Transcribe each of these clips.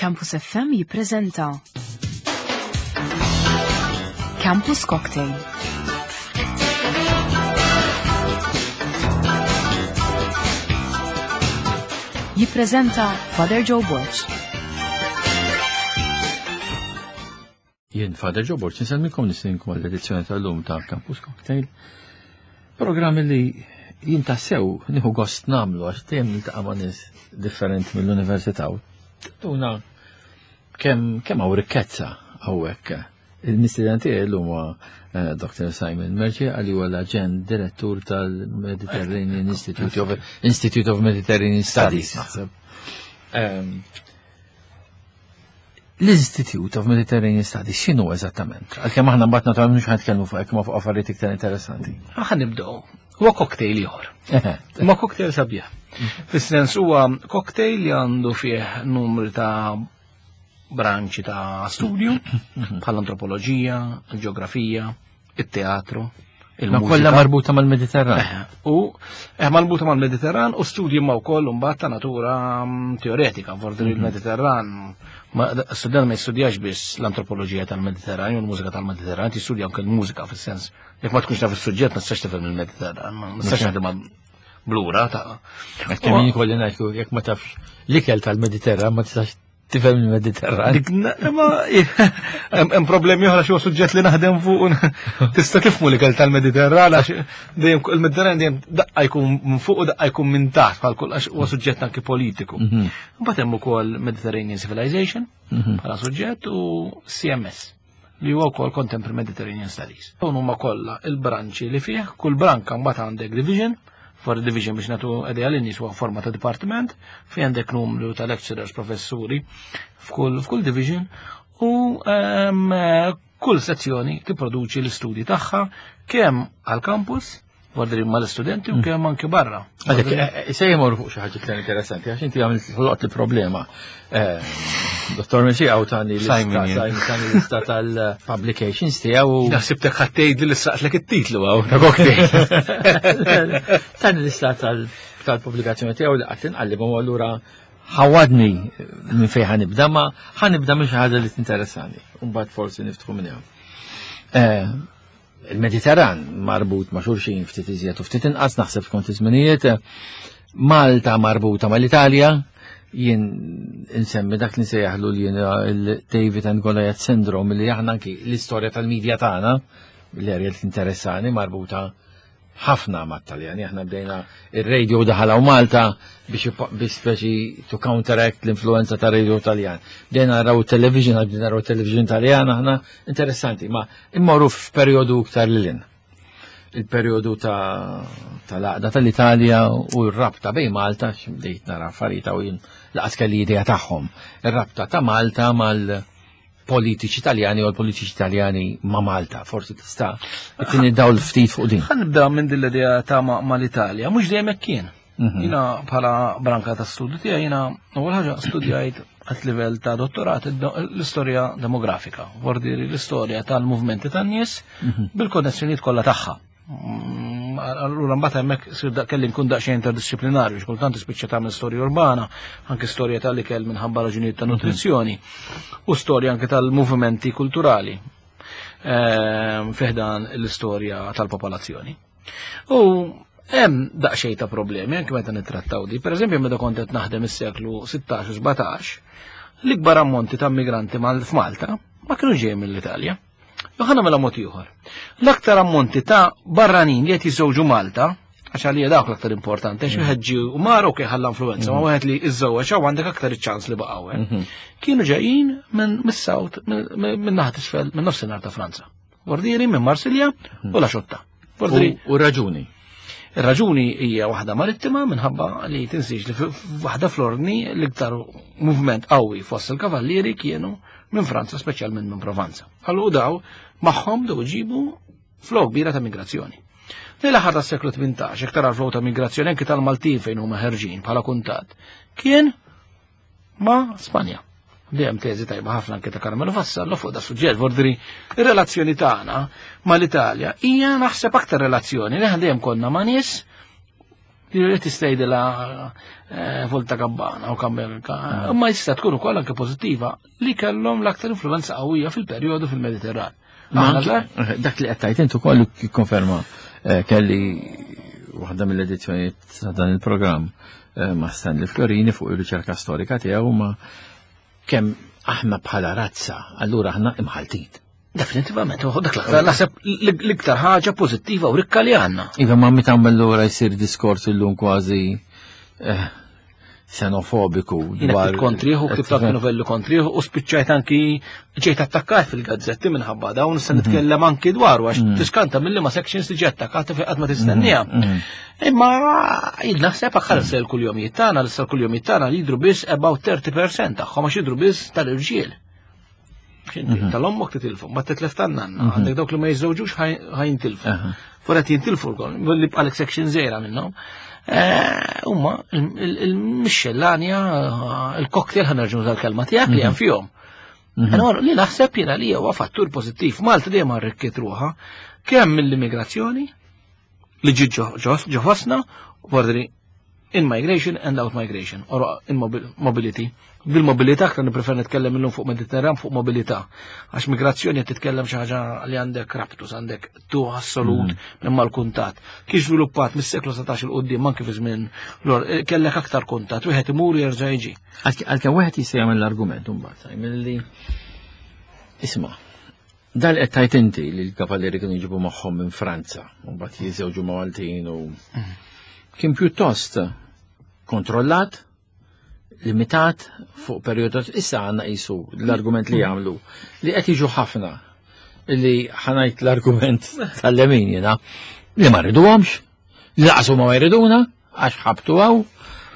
Campus FM jippreżenta Campus Cocktail. Jippreżenta Father Joe Borg. Jien Father Joe Borg, nsemmikom nisinkom għall-edizzjoni tal-lum ta' Campus Cocktail. Programm li jien tassew nieħu gost nagħmlu għax dejjem niltaqa' ma' nies differenti mill-università u tuna kemm kemm hawn rikkezza hawnhekk. Il-mistieden tiegħi llum huwa eh, Dr. Simon Merċi għal huwa l-aġent direttur tal-Mediterranean Institute of Institute of Mediterranean Studies naħseb. Ehm, L-Institute of Mediterranean Studies x'inhu eżattament? Għalkemm aħna mbagħad naturalment mhux ħanitkellmu fuq hekk ma fuq affarijiet iktar interessanti. Aħna nibdew. Huwa cocktail ieħor. Ma cocktail sabiħ. Fis-sens huwa cocktail li għandu fih numru ta' branċi ta' studju bħal antropoloġija, il-ġeografija, it-teatru, Ma kollha marbuta mal-Mediterran. Eh, u eh, marbuta mal-Mediterran u studji ma wkoll imbagħad ta' natura mm, teoretika, vordi mhm. il-Mediterran. Student ma jistudjax biss l-antropoloġija tal-Mediterran u l-mużika tal-Mediterran, tistudja anke l-mużika fis-sens. Jekk ma tkunx taf is-suġġett ma tistax tifhem il-Mediterran, ma tistax taħdem blura ta' Kemm jien kolli ngħid jekk ma tafx l-ikel tal-Mediterran ma tistax tifhem il-Mediterran. Ma hemm problemi oħra xi suġġett li naħdem fuq tista' tifhmu l-ikel tal-Mediterran għax dejjem il-Mediterran dejjem daqqa jkun minn fuq u daqqa jkun minn taħt bħal kull għax huwa suġġett anki politiku. Mhm. Mbagħad hemm ukoll Mediterranean Civilization mhm. bħala suġġett u CMS li huwa wkoll Contemporary Mediterranean Studies. Dawn huma kollha il-branċi li fih, kull branka mbagħad għandek division, for division biex nagħtu idea lin nies huwa forma ta' dipartiment, fi għandek numru ta' lecturers, professuri f'kull f'kull division u ehm, kull sezzjoni tipproduċi l-istudji tagħha kemm għall-campus Għadri ma l-studenti u mm. kemm anki barra. Għadek, eh, eh, se jemor fuq xi ħaġa iktar interessanti, għax inti għamilt ħloqt il-problema. Eh, Dottor Messi għaw tani l-lista tal-publications tiegħu. Naħsibtek ħattejt li saqtlek it-titlu għaw ta' cocktail. Tani l-lista tal-pubblikazzjoni tiegħu li qatt inqallibhom allura ħawadni minn fejn ħanibda ma ħanibda minn xi ħaġa li tinteressani. Mbagħad forsi niftħu minn hemm. Il-Mediterran marbut ma' xulxin ftit iżjed u ftit inqas naħseb skont iż-żminijiet. Malta marbuta mal-Italja, jien insemmi dak li nsejjaħlu li jien il-David and Goliath syndrome li aħna anki l-istorja tal-medja tagħna l-erja li tinteressani marbuta ħafna mat-Taljani. Aħna bdejna ir-radio daħal hawn Malta biex biex speċi to counteract l-influenza ta' radio Taljan. Bdejna naraw television, bdejna naraw television Taljan aħna interessanti, ma immorru f'perjodu iktar lilin. Il-perjodu ta' tal-għaqda tal-Italja u r-rabta bejn Malta, bdejt nara affarijiet u jien laqas kelli idea tagħhom. Ir-rabta ta' Malta mal- politiċi Taljani u l-politiċi Taljani ma' Malta, forsi tista' tini dawl ftit fuq din. Ħa nibda minn din l-idea ta' ma' l-Italja, mhux dejjem hekk kien. Mhm. Jina bħala branka ta' studju tiegħi jiena ewwel ħaġa studjajt għat livell ta' dottorat l-istorja demografika, vordiri l-istorja tal-movimenti tan-nies mhm. bil-konnessjonijiet kollha tagħha. Mm, allura mbagħad hemmhekk sir kelli nkun daqsxejn interdisciplinarju, xkultant tispiċċa tagħmel storja urbana, anke storja tal-ikel minħabba raġunijiet ta' nutrizzjoni u storja anke tal-movimenti kulturali ehm, fiħdan l-istorja tal-popolazzjoni. U hemm daqsxejn ta' problemi anke meta nittrattaw di. Pereżempju meta kont qed naħdem is-seklu 16 u 17, l-ikbar ammonti ta' immigranti f'Malta ma kienu ġejjin mill-Italja. Ħa nagħmilha mod ieħor. L-aktar ammonti ta' barranin li qed jiżżewġu Malta, għax għalija dawk l-aktar importanti, għax wieħed ġie u mar ok ħalla influenza, ma mm. wieħed li iżżewweġ hawn għandek aktar iċ-ċans li baqgħu hemm. Mhm. Kienu ġejjin minn mis-South, minn naħa isfel, minn nofsinhar ta' Franza. Bordieri minn Marsilja u la Xotta. U raġuni. Ir-raġuni hija waħda marittima minħabba li tinsiex li waħda fl-ordni l-iktar movement qawwi fost il-kavallieri kienu minn Franza, speċjalment minn Provanza. Allu daw magħhom dew iġibu flow kbira ta' migrazzjoni. Lejn l-aħħar tas-seklu 18, iktar għal flow ta' migrazzjoni anki tal-Maltin fejn huma ħerġin bħala kuntat, kien ma' Spanja. Li hemm teżi tajba ħafna anke ta' Carmelo Vassallo fuq da suġġett, vordri ir-relazzjoni tagħna mal-Italja hija naħseb aktar relazzjoni li dejjem konna ma' nies. Li li tistgħidilha eh, Volta Gabbana u Kammelka, imma jista' tkun ukoll anke pożittiva li kellhom l-aktar influenza qawwija fil-perjodu fil-Mediterran. Eh, dak li qed tgħid int ukoll jikkonferma eh, kelli waħda mill-edizzjonijiet ta' dan il-programm ma' Stanley Florini fuq ir-riċerka storika tiegħu ma' kemm aħna bħala razza, allura aħna imħaltin. Definitivament, u dak l-aktar naħseb l-iktar ħaġa pożittiva u rikka li għandna. Iva ma meta allura jsir diskors illum kważi eh, xenofobiku. Jiena kontriħu, ktibt anki novelli kontriħu u spiċċajt anki ġejt attakkat fil-gazzetti minħabba dawn se mhm. nitkellem anki dwaru għax mhm. tiskanta mill ma sections li ġi attakkata fejn qatt ma tistennija. Mhm. Imma jien naħseb aħħar se l-kuljomijiet tagħna, l kuljomijiet tagħna jidru biss about 30% tagħhom għax jidru biss tal-irġiel. Mhm. Tal-ommok titilfu, ma titlef tan-nanna, mhm. għandek dawk li ma jiżżewġux ħajintilfu. Furet jintilfu l-kol, li bqalek section zejra minnhom. Eh, huma il-mixxellanja, il-cocktail ħanerġu tal-kelma tiegħek li hemm mhm. fihom. Allora li naħseb jiena li huwa fattur pożittiv. Malta dejjem arrikkiet ruħha kemm mill-immigrazzjoni li ġiet ġo fostna, vordri in migration and out migration, or in mobility. Bil-mobilità aktar nipprefer nitkellem illum fuq Mediterran fuq mobilità. Għax migrazzjoni qed titkellem xi ħaġa li għandek raptus, għandek tu assolut mm. minn mal-kuntat. Kif żviluppat mis-seklu 17 il qudiem anke fi żmien eh, kellek aktar kuntat, wieħed imur jerġa' jiġi. Għalkemm wieħed jista' jagħmel l-argument imbagħad milli isma' Dan qed tajt inti li l-kavallieri kienu jġibu magħhom minn Franza, u mbagħad jiżewġu ma' Maltin u kien pjuttost kontrollat, limitat fuq perjodu issa għandna qisu l-argument li jagħmlu li qed jiġu ħafna li ħanajt l-argument tal-lemin jiena li ma rriduhomx, li laqas huma ma jriduna, Għax ħabtu għaw,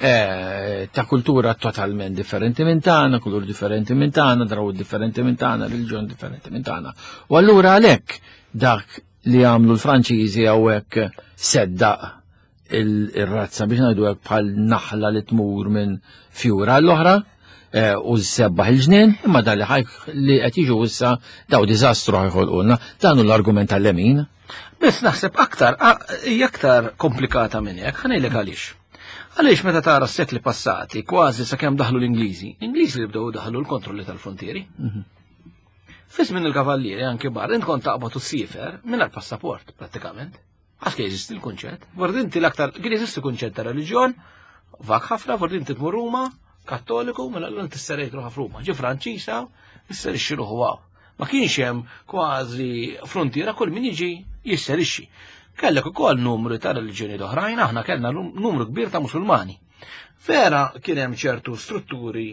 eh, ta' kultura totalment differenti minn tagħna, kulur differenti minn tagħna, draw differenti minn tagħna, reliġjon differenti minn tagħna. U allura għalhekk dak li għamlu l-Franċiżi hawnhekk seddaq il-razza biex ngħidu hekk bħal naħla li tmur minn fjura l-oħra eh, u sebbaħ il-ġnien, imma dan li li qed jiġu issa daw diżastru ħajħolqulna, dan hu l-argument tal-lemin. Biss naħseb aktar, hija aktar komplikata minn hekk, ħanejlek għaliex. Għaliex meta tara s-sekli passati, kważi sakemm daħlu l-Ingliżi, l-Ingliżi li bdew daħlu l-kontrolli tal-frontieri. Mhm. Fi żmien il-kavallieri anki bar, int kont taqbad u ssifer mingħajr passaport prattikament. Għax kien jeżisti l-kunċett. Vordi inti l-aktar kien jeżisti kunċett ta' reliġjon, vak ħafna, vordi inti tmur Ruma, Kattoliku, mela l tisserejt ruħa f'Ruma. Ġi Franċisa, isserixxi ruħu għaw. Ma kienx hemm kważi frontiera kull min jiġi jisserixxi. Kellek ukoll numru ta' reliġjoni oħrajn, aħna kellna numru kbir ta' Musulmani. Vera kien hemm ċertu strutturi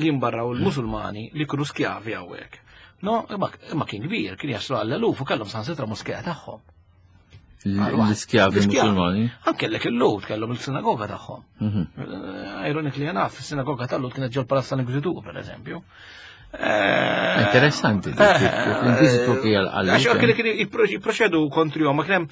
li jimbarraw il-Musulmani li kienu skjavi hawnhekk. No, imma kien kbir, kien jaslu għall-eluf u kellhom sansitra moskea tagħhom. L-iskjavi musulmani. Anke l il-Lut kellhom il-sinagoga tagħhom. Mhm. Eh, ironically enough, il-sinagoga tal-Lut kienet ġol palazz tal-Inkwiżitur, per eżempju. Eh, Interessanti, eh, l-Inkwiżitur kien għal. Għax anke kien jipproċedu kontrihom, ma kien hemm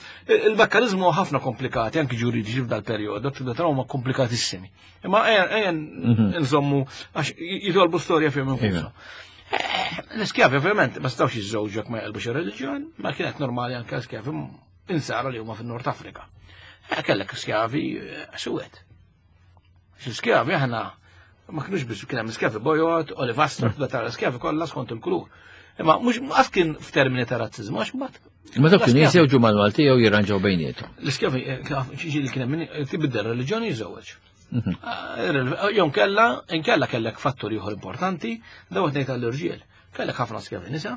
il-mekkanizmu ħafna komplikati, anki ġuridiċi f'dal perjodu, tibda taraw ma komplikatissimi. Imma ejja mhm. nżommu għax jitolbu storja fihom infushom. Eh, l-iskjavi ovvjament ma stawx jiżżewġu ma jqalbux ir-reliġjon, ma kienet normali anke l-iskjavi insara li huma fin-Nord Afrika. Eh, kellek skjavi eh, suwed. L-iskjavi aħna ma kienux biss kien hemm skjavi bojod, olivastro, mm. tara skjavi kollha skont il-kulur. Imma mhux qas kien f'termini ta' razziżmu għax mbagħad. Imma dawk kienu jiżewġu mal-Malti jew jirranġaw bejniethom. L-iskjavi ġieli kien hemm tibdel reliġjoni jiżewweġ. Mhm. Ah, jew kella, inkella kellek fattur ieħor importanti, daw qed ngħid għall-irġiel. Kellek ħafna skjavi nisa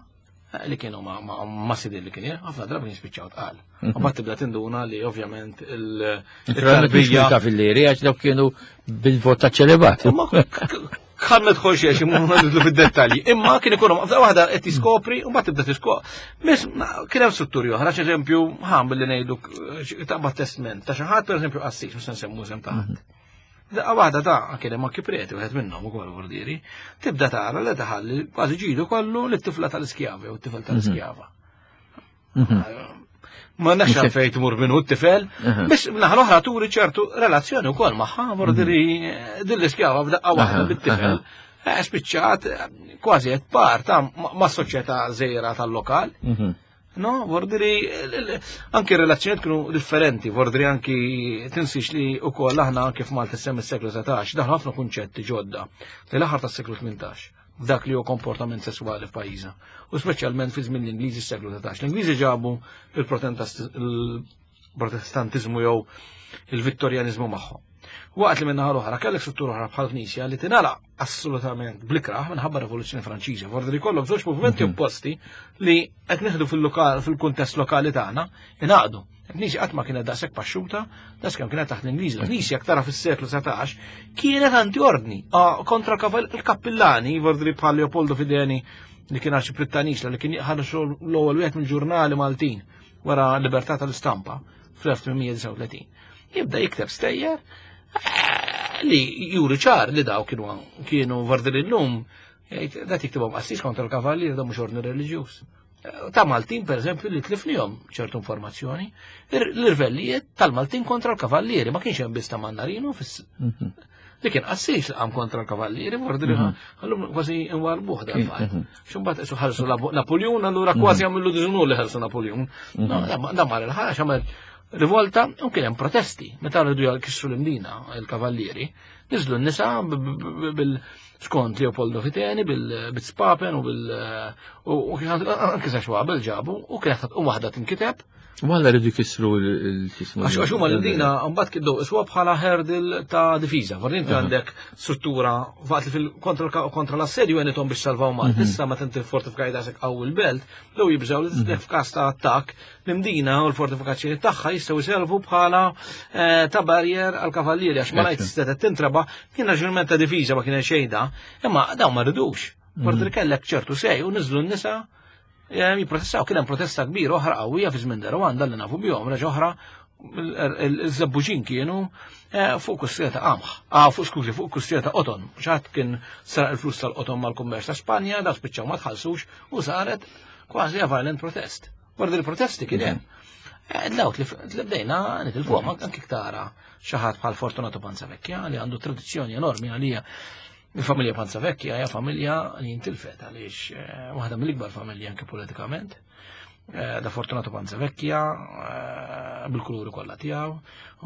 eh, li kienu ma' sidin li kien ħafna drabi kien spiċċaw tqal. Mhm. U bat tibda tinduna li ovvjament il-tarbija. Kafillieri għax dawk kienu bil-vot ta' ċelebat. Kan ma tħolx għax imma nidlu fid-dettalji. Imma kien ikun f'daqqa waħda qed tiskopri u mbagħad tibda tiskopri. Miss kien hemm strutturi oħra, eżempju, ħam billi ngħidu taqbad testment ta' xi ħadd pereżempju qassis, mhux se nsemmu sem ta' ħadd. Mhm. Daqqa waħda ta' kien hemm anki preti wieħed minnhom ukoll vordieri, tibda tara li taħalli kważi ġidu kollu lit-tifla tal-iskjava jew t-tifel tal-iskjava. Mhm. Ma nafx għalfejn tmur minnu t-tifel, biex naħa l-oħra turi ċertu relazzjoni wkoll magħha, vordiri mhm. din l-iskjava f'daqqa waħda bit-tifel. Eh, spiċċat kważi qed par ta' ma' soċjetà żejra tal-lokal. Mhm. No, vordiri, anki relazzjoniet kienu differenti, vordiri anki tinsix li u koll aħna anki f'Malta sem is-seklu 19, daħlu ħafna kunċetti ġodda li l-aħħar tas-seklu 18 f'dak li hu komportament sesswali f'pajjiżna. U speċjalment fi żmien l-Ingliżi s-seklu 19. L-Ingliżi ġabu il-Protestantiżmu jew il-Vittorjanizmu magħhom. Waqt li minnaħa l-oħra kellek struttura oħra bħal Knisja li tingħalaq assolutament blikraħ minħabba Rivoluzzjoni Franċiża. Vordi li kollok żewġ movimenti opposti li qed neħdu fil-lokal fil-kuntest lokali tagħna ingħaqdu. Il-Knisja qatt ma kienet daqshekk paxxuta, daqskemm kienet taħt l-Ingliżi. Il-Knisja tara fis-seklu 19 kienet anti-ordni kontra il-kappillani, vordi bħal Leopoldo Fideni li kien arċipriet ta' Nisla li kien ħarġu l-ewwel wieħed mill-ġurnali Maltin wara l-libertà tal-istampa fl-1839. Jibda jikteb stejjer li juri ċar li daw kienu kienu vardil illum jgħid dat jiktibhom qassis kontra l-kavallier da mhux ordni reliġjuż. Ta' Maltin per eżempju li tlifnihom ċertu informazzjoni, l-irvellijiet tal-Maltin kontra l-kavallieri ma kienx hemm biss ta' Mannarino fis li kien qassis li qam kontra l-kavallieri, vardil għallum kważi nwarbuh dal-fatt. Xumbat isu ħarsu Napoleon, allura kważi għamillu diżunur li ħarsu Napoleon. Da mar il-ħax għamel rivolta u kien hemm protesti. Meta rridu jkissru l-Imdina, il-kavallieri, niżlu n-nisa bil skont Leopoldo Fiteni bil-spapen u bil u anke sa xwabel ġabu u kienet u waħda tinkiteb. U għalla rridu jkissru l-xismu. Għax huma l-Imdina mbagħad kiddu iswa bħala hurdle ta' difiża. Forsi inti għandek struttura waqt li fil-kontra kontra l-assedju għenithom biex salvaw Malta. Issa meta inti fortifikaj daqshekk qawwi l-belt, dew jibżgħu li f'każ ta' attakk l-Imdina u l-fortifikazzjoni tagħha jistgħu jservu bħala ta' barrier għal kavallieri għax ma ngħid setgħet tintraba kien raġunament ta' difiża ma kien xejn da, imma dawn ma ridux. Forsi kellek ċertu sej u niżlu n-nisa jipprotestaw, kien hemm protesta kbira oħra qawwija fi żmien Rwanda li nafu bihom, reġa' oħra il-żebbuġin kienu fuq kustija ta' qamħ, fuq skużi, fuq kustija ta' qoton. Xi kien saraq il-flus tal-qoton mal-kummerċ ta' Spanja, da spiċċaw ma tħallsux u saret kważi a violent protest. Wara il-protesti kien hemm. Dawk li bdejna nitilfuhom anke tara xi ħadd bħal Fortunato Panzavecchia li għandu tradizzjoni enormi għalija. Il-familja Panzavecchia hija familja li jintilfet għaliex waħda mill-ikbar familji anke politikament. Da Fortunato Panzavecchia bil-kuluri kollha tiegħu,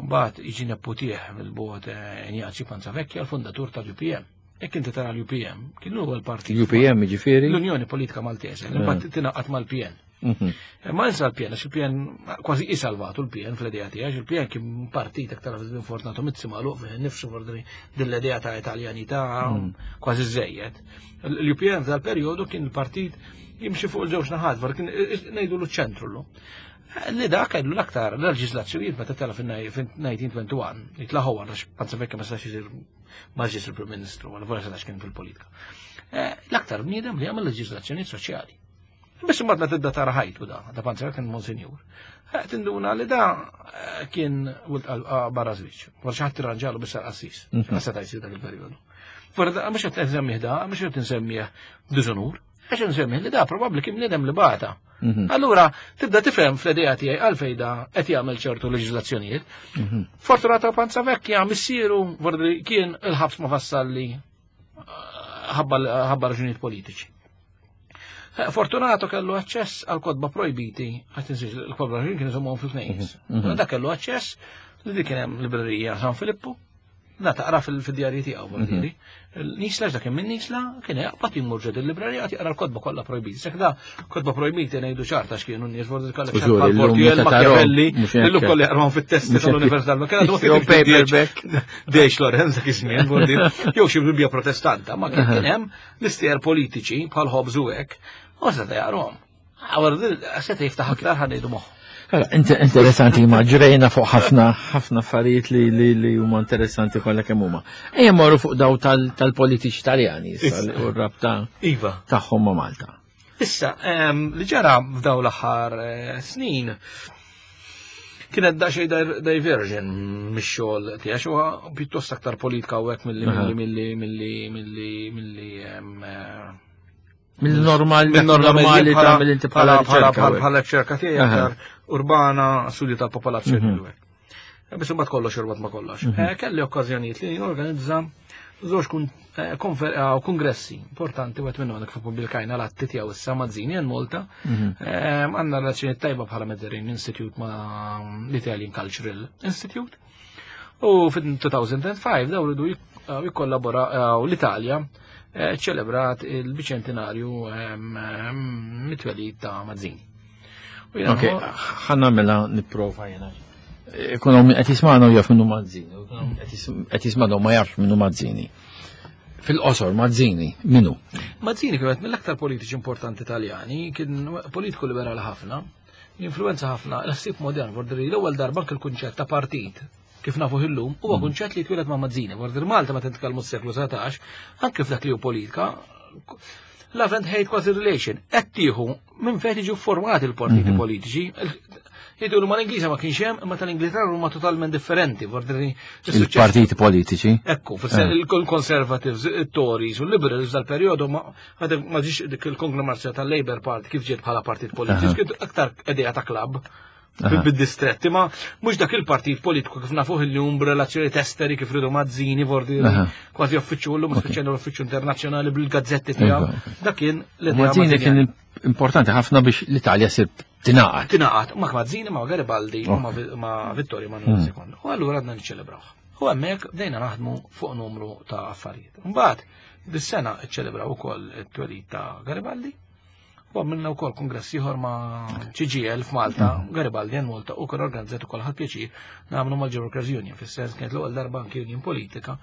mbagħad jiġi neputih mill-bogħod Ignazio Panzavecchia, l-fundatur tal-UPM. Jekk inti tara l-UPM, kien l-ewwel partit. UPM jiġifieri? L-Unjoni Politika Maltese, li mbagħad tingħaqad mal-PN. Ma nsa l-PN, għax il-PN kważi isalvatu l-PN fl-idea tiegħi, għax il-PN kien partit aktar minn Fortunato Mizzi magħluq fih innifsu forsi din l-idea ta' Italjanità kważi żejjed. L-UPN f'dal-perjodu kien il-partit jimxi fuq il-ġewx naħat, var kien ngħidu l-ċentru l Li da kellu l-aktar leġislazzjonijiet meta tela fin-1921, jitlaħu għax Panzavecchia ma setax isir maġġis il-Prim Ministru, għal vera setax kien fil-politika. L-aktar bniedem li għamel leġislazzjonijiet soċjali. Biss imbagħad meta tibda tara ħajtu da, da Panzavecchia kien monsinjur. Tinduna li da kien wilt barra żwieġ. Wara xi ħadd tirranġalu biss għall-qassis. Ma seta' jsir dak il-perjodu. Wara mhux qed nsemmih da, mhux qed insemmih diżonur, għax insemmih li da probabbli kien bniedem li bata. Allura tibda tifhem fl-idea tiegħi għalfejn da qed jagħmel ċertu leġiżlazzjonijiet. Fortunato Panzavecchia missieru vordi kien il-ħabs ma fassalli ħabba raġunijiet politiċi. Fortunato kellu aċċess għal kotba projbiti, għat insiex il-kotba projbiti kienu żommhom fil-knejjes. Da kellu aċċess li dik kien hemm librerija San Filippu, da taqra fil-djarji tiegħu vuol Nisla dak minn Nisla kien jaqbad jmur ġod il-librerija jaqra l-kotba kollha projbiti. Sek da kotba projbiti ngħidu ċarta x'kienu n-nies vuol kollha Fortiel, Machiavelli, illum kollha jaqrawhom fit-testi tal-Università. Ma kien għadu paperback. Dejx Lorenz dak iż-żmien, vuol dire, jew xi Bibbja Protestanta, ma kien hemm l-istejjer politiċi bħal Hobbes u hekk, u seta' jaqrahom. Seta' jiftaħ aktar ħa ngħidu moħħu. Interessanti, ma ġrejna fuq ħafna ħafna affarijiet li li huma interessanti kollha kemm huma. Ejja morru fuq daw tal-politiċi Taljani issa u r-rabta Iva. tagħhom ma' Malta. Issa, li ġara f'daw l-aħħar snin kienet daqsxejn diversion mix-xogħol tiegħek huwa pjuttost aktar politika u hekk milli milli milli milli milli Mill-normal, mill-normali ta' mill-inti bħala riċerka. Bħala riċerka tiegħi aktar urbana, studju tal-popolazzjoni u hekk. Biss imbagħad kollox jorbat ma' kollox. Kelli okkażjonijiet li norganizza żewġ eh, eh, kongressi importanti wieħed minnhom għandek pubblikajna l-atti tiegħu issa Mazzini għal Malta. Mhm. Eh, għandna relazzjoni tajba bħala Mediterranean Institute ma' l-Italian Cultural Institute. U fit-2005 daw ridu jikkollabora l-Italja ċelebrat il-biċentinarju mit-twelid ta' Mazzini. Ok, ħanna mela nipprova jena. Ikun hawn qed jismagħna u jaf minnu Mazzini, qed jismagħna u ma jafx minnu Mazzini. Fil-qosor, Mazzini, minnu? Mazzini kien mill-aktar politiċi importanti Taljani, kien politiku liberali ħafna, influenza ħafna l-ħsieb modern, vordri l-ewwel darba anke l-kunċett ta' partit kif nafu illum, huwa mm. kunċett li twieled ma' Mazzini. Vordir Malta ma titkellmu s-seklu 19, anke f'dak li hu politika, love and hate quasi relation. Qed tieħu minn fejn jiġu formati l-partiti mhm. politiċi. Jgħidu li mal-Ingliża ma kienx hemm, imma tal-Ingilterra huma totalment differenti. Il-partiti politiċi. Ekku, eh. il-Conservatives, il-Tories u l-Liberals dal-perjodu ma ġiex dik il-konglomerazzjoni tal-Labour Party kif ġiet bħala partit politiċi, kien aktar idea ta' klabb bid-distretti, ma mhux dak il-partit politiku kif nafuh illum b'relazzjoni testeri kif ridu Mazzini, vordi kważi uffiċċju llum speċjalment l-uffiċċju internazzjonali bil-gazzetti tiegħu. Dak kien l-idea. Mazzini kien importanti ħafna biex l-Italja sir tingħaqad. Tingħaqad, ma' Mazzini, ma' Garibaldi, ma' Vittorio Emanuele II. Hmm. U allura għadna niċċelebrawh. U hemmhekk bdejna naħdmu fuq numru ta' affarijiet. Mbagħad dis-sena ċċelebraw ukoll it-twelid ta' Garibaldi. U għamilna wkoll kongress ieħor ma' CGL f'Malta, mm. Garibaldi għan Malta, u kien organizzat ukoll ħadd pjaċir nagħmlu mal-Workers Union, fis-sens kienet l-ewwel darba anki union politika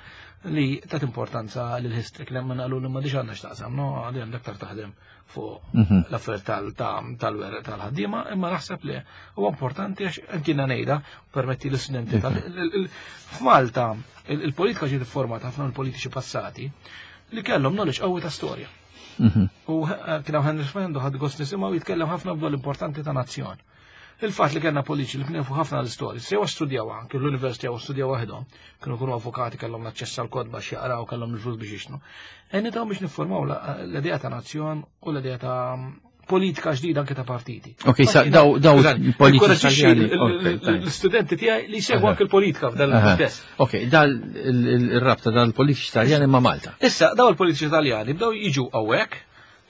li tat importanza lil history kien hemm qalu li ma diġ għandna x'taqsam, no għandi għandek aktar taħdem fuq mhm. l-affarijiet tal-werq tal-ħaddiema, imma naħseb li huwa importanti għax anki ngħidha permetti l-istudenti mhm. F'Malta il-politika ġiet iffurmata ħafna mill-politiċi passati li kellhom knowledge qawwi ta' storja. Mhm. U eh, kien hawn Henry Fernando ħadd gost nisimgħu jitkellem ħafna dwar l-importanti ta' nazzjon. Il-fatt li kellna politiċi li kienu ħafna l-istorja, sew studjaw anke l-università u studjaw waħedhom, kienu kunu avukati kellhom l-aċċess għal kodba x'jaqraw kellhom il-flus biex jixtnu. Enni taw biex niffurmaw l-idea ta' nazzjon u l-idea ta' politika ġdida anke ta' partiti. Ok, sa daw daw politiċi l-studenti tiegħi li jsegwu anke l-politika f'dan il-kuntest. Ok, dal il-rabta dal-politiċi Taljani ma' Malta. Issa, daw il-politiċi Taljani bdew jiġu hawnhekk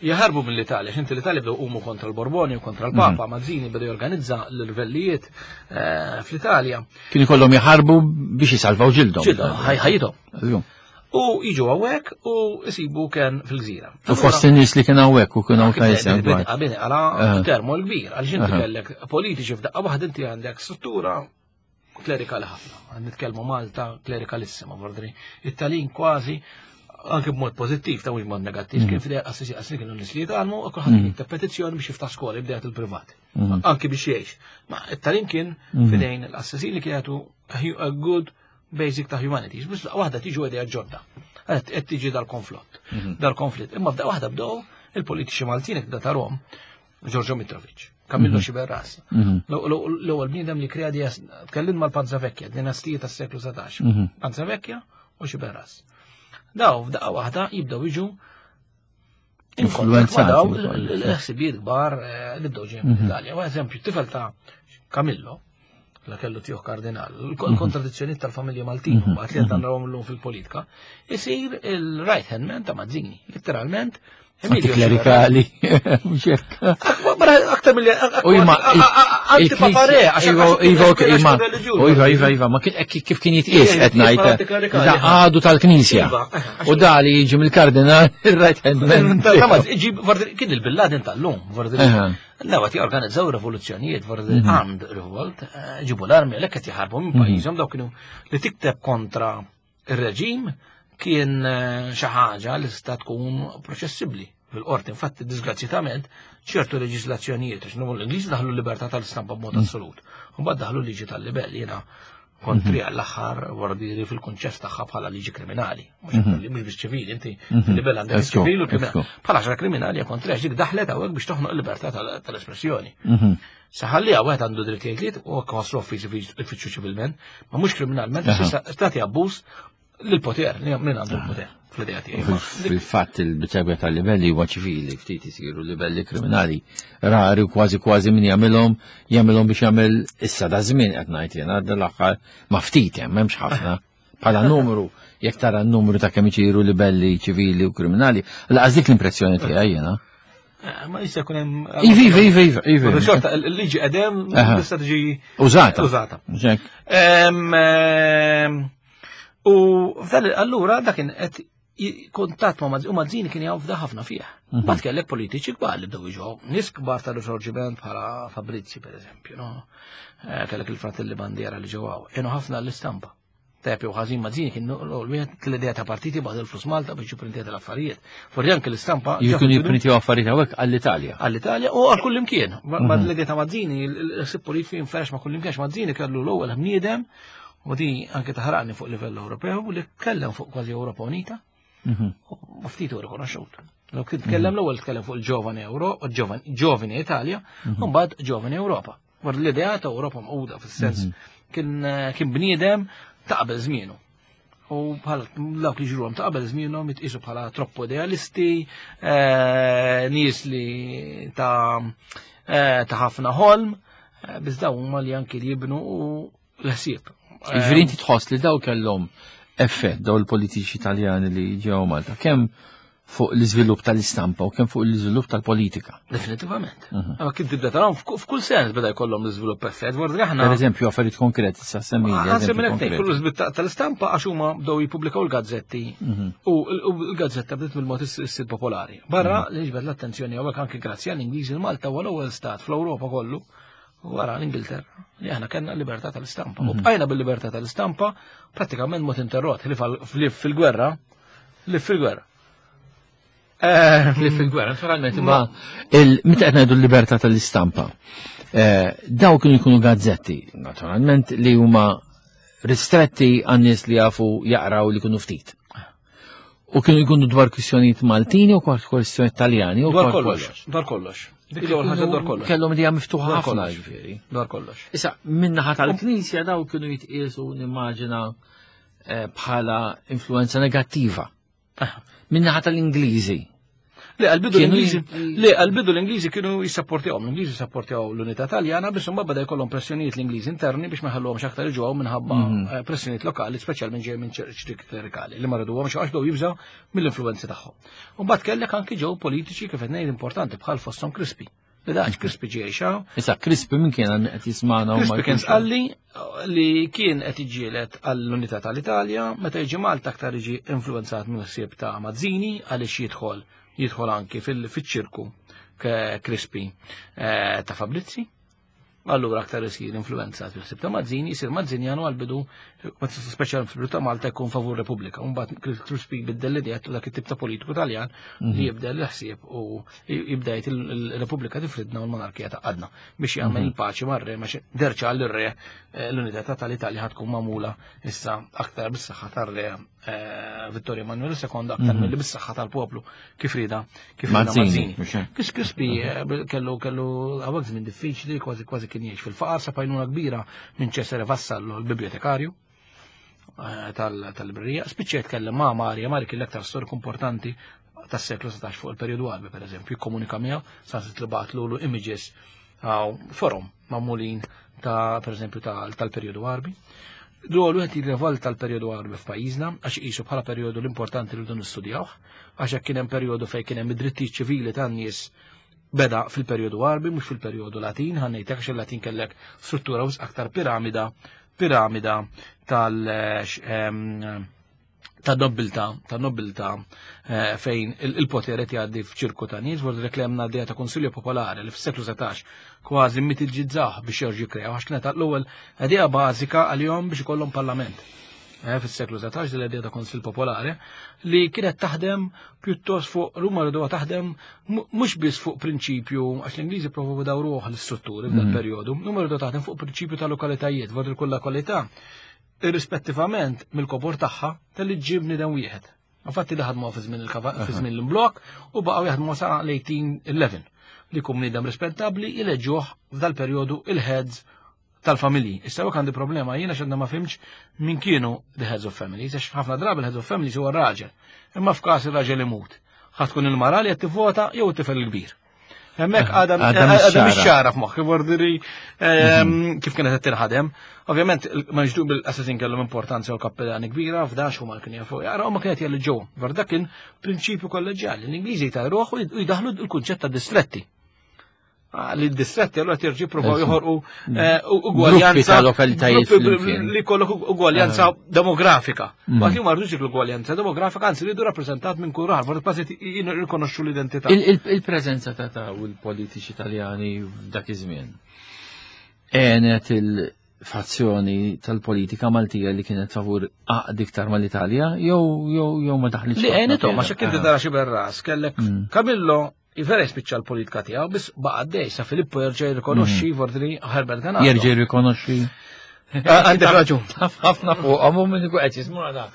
jaħarbu mill-Italja, x'inti l-Italja bdew qumu kontra l-Borboni u kontra l-Papa, mhm. Mazzini bdew jorganizza l-rvellijiet eh, fl-Italja. Kienu kollhom jaħarbu biex jisalvaw ġildhom. Ġildhom, ħajjithom. U jiġu hawnhekk u jsibu ken fil-gżira. U fost in-nies li kien hawnhekk u kien hawn tajsem. Għabini għala eh. termo l-kbir, għaliex inti kellek politiċi f'daqqa waħda inti għandek struttura klerikali ħafna. Nitkellmu Malta klerikalissima, vordri. It-Talin kważi anke b'mod pożittiv ta' mhux mod negattiv, mm. kien fidej qassisi qassisi kienu nies li jitgħallmu u kulħadd mm. jikteb petizzjoni biex jiftaħ skola jibdejat il-privat. Mm. Anke biex jgħix. Ma it-Talin kien fidejn il-qassisin li kienu a good basic ta' humanities, biex daqqa waħda tiġu idea ġodda. Qed tiġi dal-konflott, mhm. dal-konflitt. Imma f'daqqa waħda bdew il-politiċi Maltin da tarom, Giorgio Mitrovic, Camillo mhm. Xiberras. Mhm. L-ewwel bniedem li krea di tkellim mal-Panza Vecchia, dinastija tas-seklu 17. Panza Vecchia u Xiberras. Daw f'daqqa waħda jibdew jiġu Influenzati. Daw l-ħsibijiet kbar eh, li bdew ġejjin mill-Italja. U eżempju, tifel ta' Camillo, la kellu tiegħu kardinal, il-kontradizzjonijiet tal-familja Maltin, mhm. mbagħad li qed narawhom illum fil-politika, isir il-right hand man ta' Mazzini, letteralment Antiklerikali, mhux hekk. Aktar mill U imma antipapare, Iva, ok, imma. U iva, iva, iva, ma kif kien jitqies qed ngħid. Da għadu tal-Knisja. Iva, U da li jiġi mill-kardinal il-right hand man. Kien il-Bin tal-lum, L-ewwel jorganizzaw rivoluzzjonijiet, mhm. armed revolt, eh, ġibu l-armi għalhekk qed jaħarbu minn mhm. pajjiżhom dawk kienu li tikteb kontra ir-reġim kien eh, xi ħaġa li tista' tkun proċessibbli fil-qorti. Infatti, disgrazzjatament, ċertu leġislazzjonijiet, għax l-Ingliżi daħlu l-libertà tal-istampa b'mod mm. assolut. Mbagħad daħlu liġi tal-libell, jiena kontri mhm. għall-aħħar wardiri fil-kunċett tagħha bħala liġi kriminali, mhux mhm. biex ċivili, inti mhm. fil-libell għandek ċivili u kriminali. Bħala xara kriminali kontri għax dik daħlet hawnhekk biex toħnoq il-libertà tal-espressjoni. Saħalli għawet għandu dritt jgħid u għak uffiċi ifittxu ċivilment, ma mhux kriminalment, tagħti abbuż lill-poter, li min għandu l-poter fl-idea tiegħi. Fil-fatt il-biċċa tal-livelli huwa ċivili, ftit isiru livelli kriminali rari u kważi kważi min jagħmilhom jagħmilhom biex jagħmel issa da żmien qed ngħid jiena l-aħħar ma ftit hemm m'hemmx ħafna. Bħala numru Jekk tara n-numru ta' kemm isiru libelli ċivili u kriminali, laqas dik l-impressjoni tiegħi jiena. Ma jista' jkun hemm. Iva, iva, iva, iva, iva. Xorta, il-liġi qedem tista' tiġi użata. Użata. U f'dan allura dak kien qed kuntatt ma' Mazzini, u Mazzini kien jaf ħafna fih. Mbagħad kellek politiċi kbar li bdew jiġu, nies kbar tal-Risorġiment bħala Fabrizi pereżempju, no? Kellek il-Fratelli Bandiera li ġew hawn, kienu ħafna l-istampa. Tajjeb jew ħażin Mazzini kien l-wieħed l-idea ta' partiti bagħad il-flus Malta biex jipprintja l-affarijiet. Forsi anke l-istampa. Jkunu jipprintjaw affarijiet hawnhekk għall-Italja. Għall-Italja u għal kull imkien. Ma l-idea ta' Mazzini, l-ħsieb politiku jinferex ma' kull imkien, Mazzini kellu l-ewwel bniedem u di anke taħraqni fuq livell Ewropew li tkellem fuq kważi Ewropa Unita. U ftit u rikonoxxut. Law kien tkellem l-ewwel tkellem fuq il-ġovani Euro, ġovani Italja, u mbagħad ġovani Ewropa. War l-idea ta' Ewropa mquda fis-sens kien bniedem ta' qabel żmienu. U bħal dawk li ġruhom ta' qabel żmienhom jitqisu bħala troppo idealisti, nies li ta' ħafna ħolm, biss dawn huma li anki li jibnu u l-ħsieb. Jiġifieri inti tħoss li daw kellhom effett daw il-politiċi Italjani li ġew Malta, kemm fuq l-iżvilupp tal-istampa u kemm fuq l-iżvilupp tal-politika. Definitivament. Ma kien tibda tarahom f'kull sens beda jkollhom l-iżvilupp effett, vordi aħna. Per eżempju, affarijiet konkreti sa semmi. Semmi lek kull l-iżvilupp tal-istampa għax huma bdew jippubblikaw il-gazzetti u l-gazzetta bdiet mill-mod issir popolari. Barra li ġbed l-attenzjoni hawnhekk anke grazzi għall-Ingliżi l-Malta huwa l-ewwel stat fl-Ewropa kollu wara l-Ingilterra li aħna kellna l-libertà tal-istampa. U bqajna bil-libertà tal-istampa prattikament mod interrott li fil-gwerra, li fil-gwerra. Li fil-gwerra, naturalment, imma meta qed ngħidu l-libertà tal-istampa, daw kienu jkunu gazzetti, naturalment, li huma ristretti għan-nies li jafu jaqraw li jkunu ftit. U kienu jkunu dwar kwistjonijiet Maltini u dwar kwistjonijiet Taljani u dwar kollox. Dwar kollox. Dik l-ewwel ħaġa dwar kollox. Kellhom idea miftuħa ħafna ġifieri. Dwar kollox. Issa, min-naħa tal-Knisja daw kienu jitqiesu nimmaġina bħala influenza negattiva. Min-naħa tal-Ingliżi. Le, għal-bidu l-Ingliżi, le, għal-bidu l-Ingliżi kienu jissapportjawhom, l-Ingliżi jissapportjaw l-unità Taljana biex imbagħad beda jkollhom pressjonijiet l-Ingliżi interni biex ma jħalluhomx aktar iġuhom minħabba pressjonijiet lokali, speċjalment ġej minn ċerti klerikali li ma riduhomx għax bdew jibżgħu mill-influenzi tagħhom. U mbagħad kellek anki ġew politiċi kif qed ngħid importanti bħal fosthom Crispi. Li daħx Crispi ġej xaw. Issa Crispi min kien qed jismagħna u ma Crispi kien sqalli li kien qed iġġieled għall-unità tal-Italja, meta jiġi Malta aktar jiġi influenzat minn ħsieb ta' Mazzini għaliex jidħol anki fil-ċirku Crispi ta' Fabrizi. Allura aktar isir influenzat fil-ħsieb ta' Mazzini, jisir Mazzinjanu għal-bidu, speċjalment fil-bidu ta' Malta jkun favur Repubblika. Mbagħad Crispi jbiddel l-idea ta' dak it-tip ta' politiku Taljan li jibdel l-ħsieb u jibda jgħid il-Repubblika tifridna u l-monarkija taqadna biex jagħmel il-paċi mar-re, ma derċa għall-re l-unità tal-Italja ħad tkun magħmula issa aktar bis-saħħa tar-re Vittorio Emanuele II aktar milli bis-saħħa tal-poplu kif rida kif rida Mazzini. Kis Crispi kellu hawnhekk żmien diffiċli, kważi kien jgħix fil-faqar, sa pajnuna kbira minn Cesare Vassallo l-bibliotekarju tal-librerija. Spiċċa jitkellem ma' Maria, Maria kien l-aktar storiku importanti tas-seklu 16 fuq il-perjodu Għarbi, per eżempju, jikkomunika miegħu, sa li bagħatlu images għaw forum magħmulin ta' per eżempju tal-perjodu Għarbi. Dwar wieħed jirrevolta l-perjodu Għarbi f'pajjiżna għax iqisu bħala perjodu l-importanti li rridu nistudjawh, għax hekk kien hemm perjodu fejn kien hemm id-drittijiet ċivili tan-nies beda fil-perjodu Għarbi mhux fil-perjodu Latin, ħa ngħidlek għax il-Latin kellek struttura wisq aktar piramida ta' nobilta, ta' nobilta fejn il-poter qed jgħaddi f'ċirku ta' nies, vordi reklamna d ta' Konsilju Popolari li fis-seklu 17 kważi mitiġġizzah biex jerġgħu jikkrew għax kienet l-ewwel idea bażika għalihom biex ikollhom parlament. Fis-seklu 17 din l-idea ta' Konsil Popolari li kienet taħdem pjuttost fuq Ruma rriduha taħdem mhux biss fuq prinċipju għax l-Ingliżi provaw dawruh l-istrutturi f'dan perjodu, huma rridu taħdem fuq prinċipju ta' lokalitajiet, vordi kull lokalità irrispettivament mill-kobor tagħha tal-li ġib bniedem wieħed. Infatti li ħadmu fi żmien fi żmien l-imblok u baqgħu jaħdmu sa l-1811 li jkun bniedem rispettabbli jileġġuh f'dal-perjodu il-heads tal-familji. Issa hekk għandi problema jiena x'għandna ma fimx min kienu the heads of families, għax ħafna drabi l-heads of families huwa r-raġel. Imma f'każ ir-raġel imut, ħa tkun il-mara li qed tivvota jew it-tifel il-kbir. Hemmhekk għadha għadha mhix ċara f'moħħi vordiri ehm, kif kienet qed tinħadem. Ovvjament ma nixdu bil-assassin kellhom importanza u kappellani kbira f'dax huma kien jafu jaqraw ma kienet jelli ġew. Dak kien prinċipju kolleġjali. L-Ingliżi jtajruh u jdaħlu l-kunċett ta' distretti. Ah, li d-distretti allura terġi provaw joħorqu mm. eh, ugwaljanza lokalitajiet li kollok ugwaljanza eh. demografika. Mm. Waqt li ma rridux l-ugwaljanza demografika, anzi rridu rappreżentat minn kull raħal, forsi kważi jirrikonoxxu l-identità. Il-preżenza ta' ta' u l-politiċi Taljani f'dak iż-żmien għenet il-fazzjoni tal-politika Maltija li kienet favur għaqd iktar mal-Italja jew jew jew ma daħlitx. Li għenithom għax inti tara xi berras kellek mm. Camillo Vera jispiċċa l-politika tiegħu, biss baqa' għaddej sa Filippo jerġa' jirrikonoxxi mm. Vordri Herbert Ganado. Jerġa' jirrikonoxxi. Ah, għandek raġun. Ħafna fuqhom u minn ikun qed jismagħna.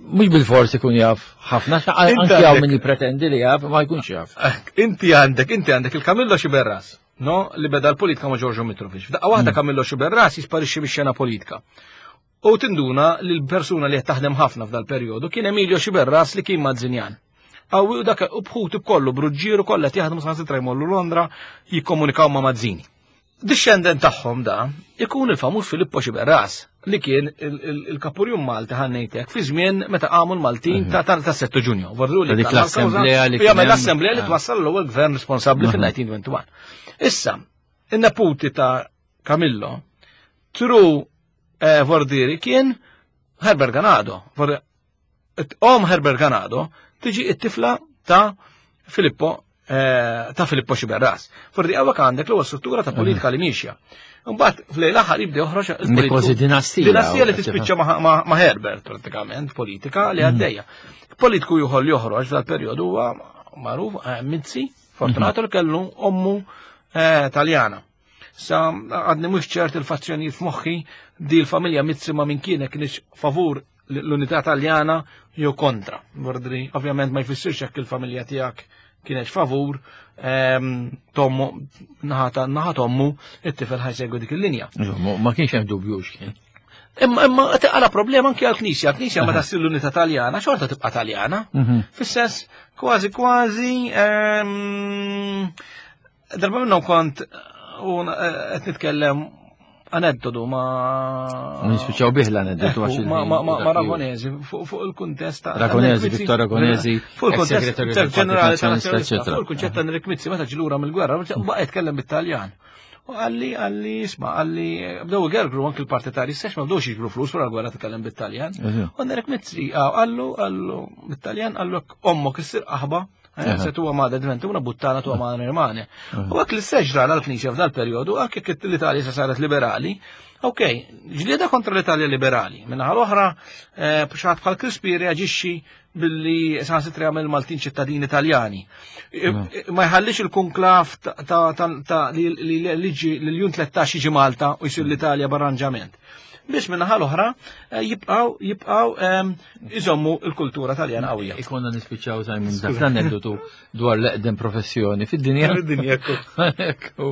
Mhux bil-fors ikun jaf ħafna, anke hawn min jippretendi li jaf, ma jkunx jaf. Eh, inti għandek, inti għandek il-Kamillo Xiberras, no, li beda l-politika ma' Giorgio Mitrovic. F'daqqa waħda mm. Kamillo Xiberras jisparixxi mix-xena politika. U tinduna li l-persuna li qed taħdem ħafna f'dal-perjodu kien Emilio Xiberras li kien Mazzinjan. Qawwi u dak u bħuti b'kollu b'Ruġġieru kollha qed jaħdmu saħansitra jmorru Londra jikkomunikaw ma' Mazzini. Dixxendent tagħhom da ikun il-famuż Filippo Xiberras li kien il-kapurjum Malti ħannejtek fi żmien meta qamu l-Maltin ta' ta' 7 Ġunju. Vorru li dik l-assemblea li jagħmel l-assemblea li twassal l-ewwel gvern responsabbli fil-1921. Issa, in-neputi ta' Camillo, tru eh, Vordiri kien Herbert Ganado. Om Herbert Ganado tiġi it-tifla ta' Filippo eh, ta' Filippo Xiberras. Fordi għawek għandek l-ewwel struttura ta' politika li miexja. Mbagħad fl-lejl aħħar jibda joħroġ il-kważi dinastija. Dinastija li tispiċċa ma' Herbert pratikament, politika li mhm. għaddejja. Politiku juħol joħroġ dal-perjodu huwa magħruf eh, Mizzi, Fortunato li kellu ommu eh, Taljana. Sa għadni mhux ċert il-fazzjonijiet f'moħħi di l-familja Mizzi ma' min kienet kienx favur l-unità Taljana jew kontra. Mordri, ovvjament ma jfissirx jekk il-familja tiegħek kienet favur ehm, tommu naħa tommu it-tifel ħajsegwi dik il-linja. Ma kienx hemm dubju x'kien. Imma imma għala problema anke għall-Knisja, l-Knisja ma tassir l-unità Taljana, xorta tibqa' Taljana. Mhm. Fis-sens kważi kważi ehm, darba minnhom kont u eh, qed nitkellem aneddotu ma. Nispiċċaw bih l-aneddotu għax. Ma Ragonesi, fuq il-kuntest ta' Ragonesi, Vittor Ragonesi, fuq il-kuntest ġenerali tal-Nazzjonalista, fuq il-kunċett ta' Enric Mizzi meta ġilura mill-gwerra, baqa' jitkellem bit-Taljan. U għalli, għalli, isma, għalli, bdew gergru anki l-partitari stess ma bdewx jiġbru flus wara l-gwerra tkellem bit-Taljan. U Enric Mizzi, għallu, għallu, bit-Taljan, għallu ommok issir qaħba Eh, se tuwa ma diventa una buttana tuwa ma rimane. U għak l-istess ġrala l-Knisja f'dal periodu, għak jekk l-Italja se saret liberali, ok, ġlieda kontra l-Italja liberali. Minna l-oħra, eh, xaħat bħal Crispi reaġixxi billi sansitra jagħmel Maltin ċittadini Italjani. Ma jħallix il-konklav ta' li liġi l-jun 13 jiġi Malta u jsir l-Italja b'arranġament. Biex minnaħa l-oħra eh, jibqaw jibqaw ehm, iżommu l-kultura taljana qawwija. Ikonna nispiċċaw Simon dak l-aneddotu dwar l-eqdem professjoni fid-dinja. Fid-dinja ekku.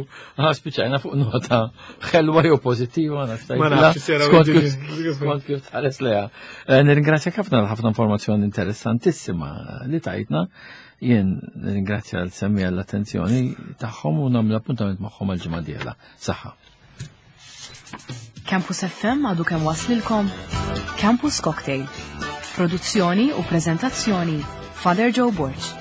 Spiċċajna fuq nota ħelwa jew pożittiva Ma nafx skont kif tħares leha. Eh, nirringrazzjak ħafna għal ħafna informazzjoni interessantissima li tajtna. Jien nirringrazzja l-semmi għall-attenzjoni tagħhom u nagħmel appuntament magħhom għal-ġimgħa dieħla. Saħħa. Campus FM għadu kemm waslilkom Campus Cocktail. Produzzjoni u prezentazzjoni Father Joe Borg.